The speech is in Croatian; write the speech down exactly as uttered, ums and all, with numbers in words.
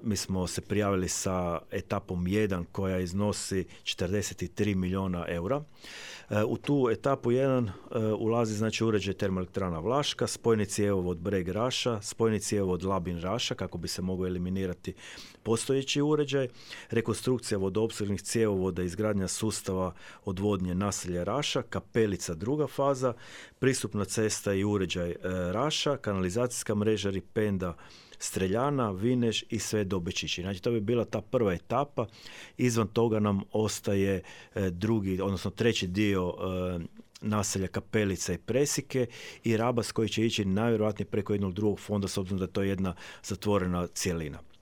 mi smo se prijavili sa etapom jedan koja iznosi četrdeset tri milijuna eura. U tu etapu jedan ulazi znači uređaj termoelektrana Vlaška, spojni cjevovod Breg Raša, spojni cjevovod Labin Raša kako bi se mogao eliminirati postojeći uređaj, rekonstrukcija vodoopskrbnih cjevovoda, izgradnja sustava odvodnje naselja Raša, Kapelica druga faza, pristupna cesta i uređaj Raša, kanalizacijska mreža Ripenda, Streljana, Vineš i sve do Bečići. Znači to bi bila ta prva etapa. Izvan toga nam ostaje drugi, odnosno treći dio naselja Kapelica i Presike i Rabas koji će ići najvjerojatnije preko jednog drugog fonda s obzirom da to je jedna zatvorena cjelina.